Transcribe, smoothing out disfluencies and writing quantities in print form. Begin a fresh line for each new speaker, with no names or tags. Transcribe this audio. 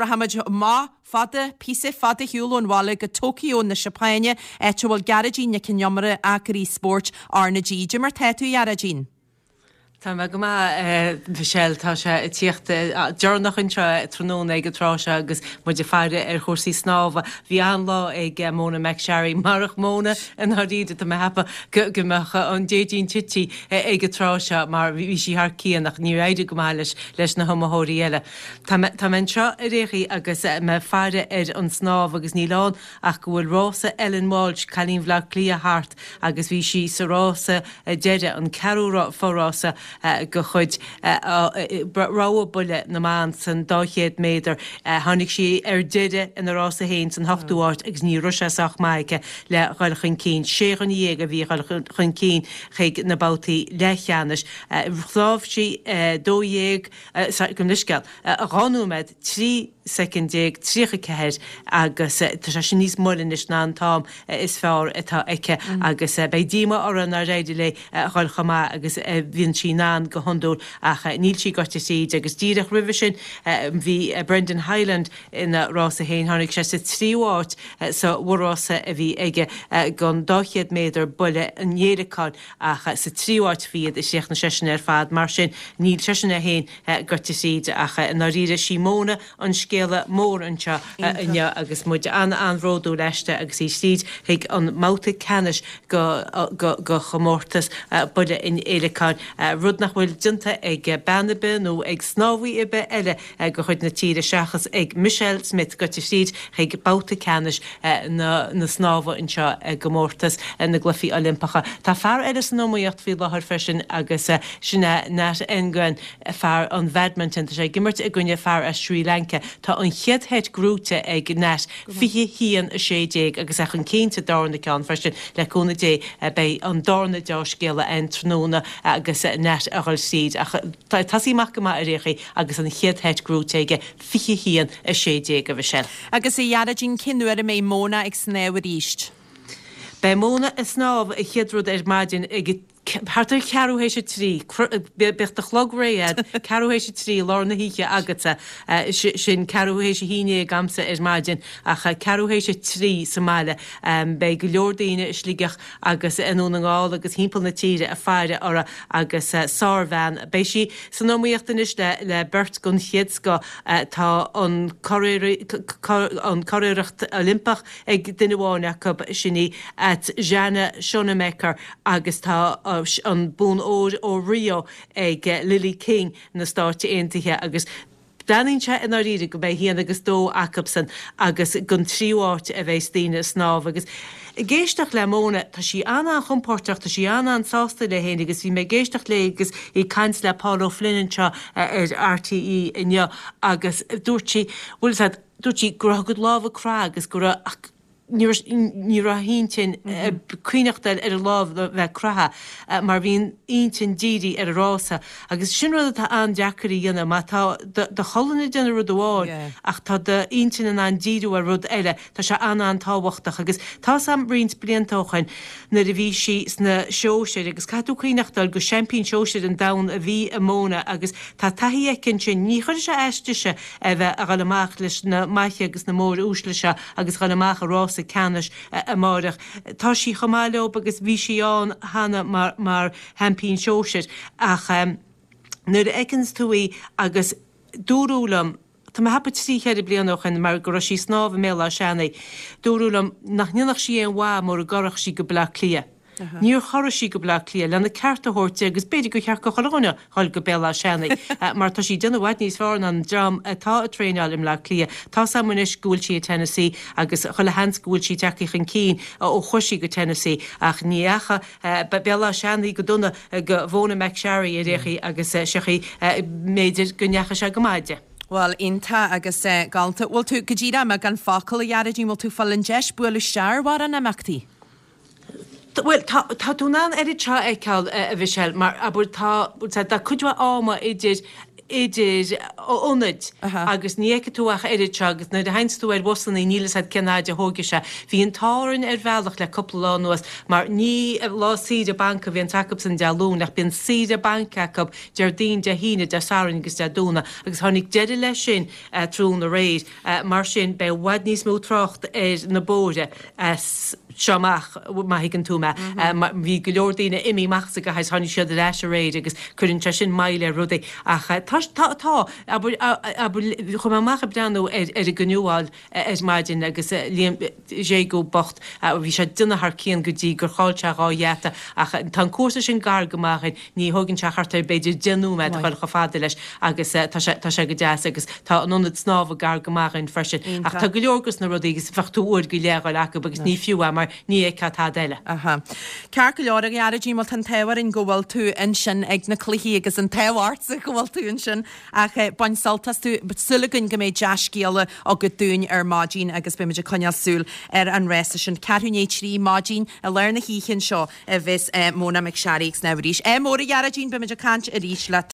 Rachaimid amach fada, píosa fada ar shiúl ón bhaile go Tokyo na Seapáine, áit a bhfuil Gearóidín Nic Con Iomaire, Agoraí Spóirt RnaG. Cad é mar tá tú, a Ghearóidín?
Tá mé go maith, a Mhichelle. Tá sé ag tíocht deireanach anseo tráthnóna ag an tráth seo agus muid ag faire ar chúrsaí snámha. Bhí an-lá ag Mona McSharry. Marach Mona, i ndáiríre, tá mé ag ceapadh go mbeadh an déidín tite ag an tráth seo mar bhí sí thar cionn ach níor éirigh go maith leis na hiomaitheoirí eile. Tá mé, tá mé anseo ar aon chaoi agus mé ag faire ar an snámh agus níl ann ach go bhfuil rása Ellen Walshe, cailín Bhaile Átha Cliath thart agus bhí sí sa rása deiridh, an ceathrú fo-rása de chuid rogha buile na mban san 200 méadar. Tháinig sí ar deireadh ina rása féin san ochtú háit agus ní raibh sé sách maith aici le dhul chun cinn. Sé dhuine dhéag a bhí ag dhul chun cinn chuig na babhtaí leathcheannais. Shnámh sí 12. Gabh mo leithscéal, 2 nóiméad 13 soicind 34 agus tá sé sin níos moille anois ná an t-am is fearr atá aici agus beidh díomá uirthi nár éirigh léi a dhul chomh maith agus a bhíonn sí in ann go hiondúil ach níl sí gaibhte tríd agus díreach roimhe sin bhí Brendan Hyland ina rása féin. Tháinig sé sa tríú háit sa mhórrása a bhí aige don 200 méadar buille an fhéileacáin. Ach sa tríú háit a bhí iad, chríochnaigh seisean ar fad. Mar sin, níl seisean é féin gaibhte tríd ach i ndáiríre, sí Mona an scéala mór anseo inniu agus muid an-an-bhródúil aisti agus í tríd chuig an mbabhta ceannais de chomórtas buille an fhéileacáin, rud nach bhfuil déanta ag bean ar bith nó ag snámhaí ar bith eile de chuid na tíre seachas ag Michelle Smith gaibhte tríd chuig babhta ceannais na snámha anseo i gcomórtas na gCluichí Oilimpeacha. Tá fear eile san iomaíocht faoi láthair freisin agus sin é Nat Nguyen, fear an bhadminton. Tá sé ag imirt i gcoinne fear as Srí Lanca. Tá an chéad sheit gnóite ag Nat, 21, 16, agus é chun cinn sa darna ceann freisin. Le cúnamh Dé beidh an darna deá-scéala ann tráthnóna agus Nat a dhul tríd. Ach tá ag tosaí amach go maith ar aon chaoi agus an chéad sheit gnóite aige, 21, 16, a Mhichelle.
Agus a Ghearóidín, cén uair a mbeidh Mona ag snámh arís?
Beidh Mona ag snámh an chéad rud ar maidin ag thart ar cheathrú théis a trí, bíodh do chlog réidh a'd, ceathrú théis a trí i lár na hoíche agatsa, sin ceathrú théis a haon déag a'msa ar maidin, ach ceathrú théis a trí sa mbaile. Beidh go leor daoine i Sligeach agus i nDún na nGall agus thimpeall na tíre ag faire uirthi agus sárbhean. Beidh sí san iomaíocht anois le beirt den chéad scoth. Tá an curiarracht Oilimpeach ag duine amháin acu, sin í Tatjana Schoenmaker agus tá an bonn óir ó Rio ag Lilly King na Stáit Aontaithe agus Breathnaíonn sé i ndáiríre go mbeidh haon agus dó acubsan agus don tríú háit a bheas daoine ag snámh. Agus ag éisteacht le Mona, tá sí an-an-chompóirteach, tá sí an-an-sásta léi féin agus bhí mé ag éisteacht léi agus í ag caint le Paul O'Flynn anseo ar RTÉ inniu agus dúirt sí, bhfuil a fhios agat, dúirt sí go raibh a cuid lámha ag croitheadh agus go raibh, ach ní raibh a hintinn ag cuimhneachtáil ar a lámh a bheith ag croitheadh mar bhí an intinn dírithe ar an rása agus sin rud atá an-deacair a dhéanamh má tá do cholainn ag déanamh rud amháin ach tá d'intinn in ann díriú ar rud eile tá sé an-an-tábhachtach agus tá 's a'm roinnt blianta ó shoin nuair a bhí sí sna sóisir agus caithfidh tú cuimhneachtáil gur seaimpín sóisir an domhain a bhí i Mona agus tá taithí aici ansin ní chuirfidh sé as dise a bheith a dhul amach leis na maithe agus na mór-uaisle seo agus a dhul amach i rása ceannais amáireach. Tá sí chomh maith leob agus bhí sí ann cheana mar mar sheaimpín sóisir ach nuair a fheiceanns tú í agus dúradh liom, tá mé ag ceapadh trí cheithre bliana ó shin mar go raibh sí ag snámh i mBéal Átha Seanaidh, dúradh liom nach ndéanfadh sí aon mhaith mura gcorrfadh sí go Baile Átha Cliath. Níor chorraigh sí go Baile Átha Cliath lena ceart a thabhairt di agus b'fhéidir gur cheart go chuile dhuine dhul go Béal Átha Seanaidh mar tá sí ag déanamh i bhfad níos fearr ná an dream atá ag traenáil i mBleá Cliath. Tá's a'm anois go bhfuil sí i Tennessee agus chuile sheans go bhfuil sí tagtha chun cinn ó chuaigh sí go Tennessee ach ní dheachaigh Béal Átha Seanaidh go dona go Mhona McSharry ar aon chaoi agus seo í b'fhéidir go ndeachaigh sé go maith di.
Bhuel, iontach agus galánta. Bhfuil tú, go díreach i mbeagán focal, a Ghearóidín, bhfuil tú ag fáil an deis bualadh isteach ar mhórán imeachtaí?
Bhuel, tá, tá tú in ann oiread seo a fheiceáil, a Mhichelle, mar, abair, tá, tá cuid mhaith ama idir. idir ionaid agus ní fheicfidh tú ach oiread seo agus nuair a théanns tú ar bhusannaí níl fhios agat cén fhaid a thóigfidh sé. Bhí an t-ádh orainn ar bhealach le cúpla lá anuas mar ní lá saoire bainc a bhíonns acubsan Dé Luain ach bíonn saoire bainc acu Déardaoin, Dé hAoine, Dé Sathairn agus Dé Domhnaigh agus tháinig deireadh leis sin tráthnóna aréir. Mar sin beidh i bhfad níos mó trácht ar na bóithre as seo amach, má thuigeann tú mé. Bhí go leor daoine imithe amach as an gcathair, tháinig siad ar ais aréir agus cuireann sé sin moill ar rudaí. Ach tá, tá, tá, abair, abair, chuaigh mé amach ag breathnú ar ar an gcanúáil ar maidin agus Liam Jegou bocht, bhí sé ag déanamh thar cionn go dtí gur chaill sé dhá gheata ach tá an cúrsa sin gar go maith dhuinn, ní thóigeann sé thart ar b'fhéidir 10 nóiméad a dhul chomh fada leis agus tá sé, tá sé go deas agus tá an ionad snámha gar go maith dhuinn freisin. Ach tá go leor dos na rudaí agus bheadh tú uair go leith a dhul acu agus ní fiú é mar ní fheicfeá tada eile.
Aha. Ceart go leor a Ghearóidín, bhuel tá an t-ádh orainn go bhfuil tú ansin ag na cluichí agus an t-ádh ortsa go bhfuil tú ansin ach bain sult astu. Súil againn go mbeidh dea-scéala agat dúinn ar maidin agus beimid ag coinneáil súil ar an rása sin. Ceathrú i ndiaidh 3 maidin i lár na hoíche anseo a bheas Mona McSharry ag snámh arís. Ádh mór a Ghearóidín, beimid ag caint arís leat.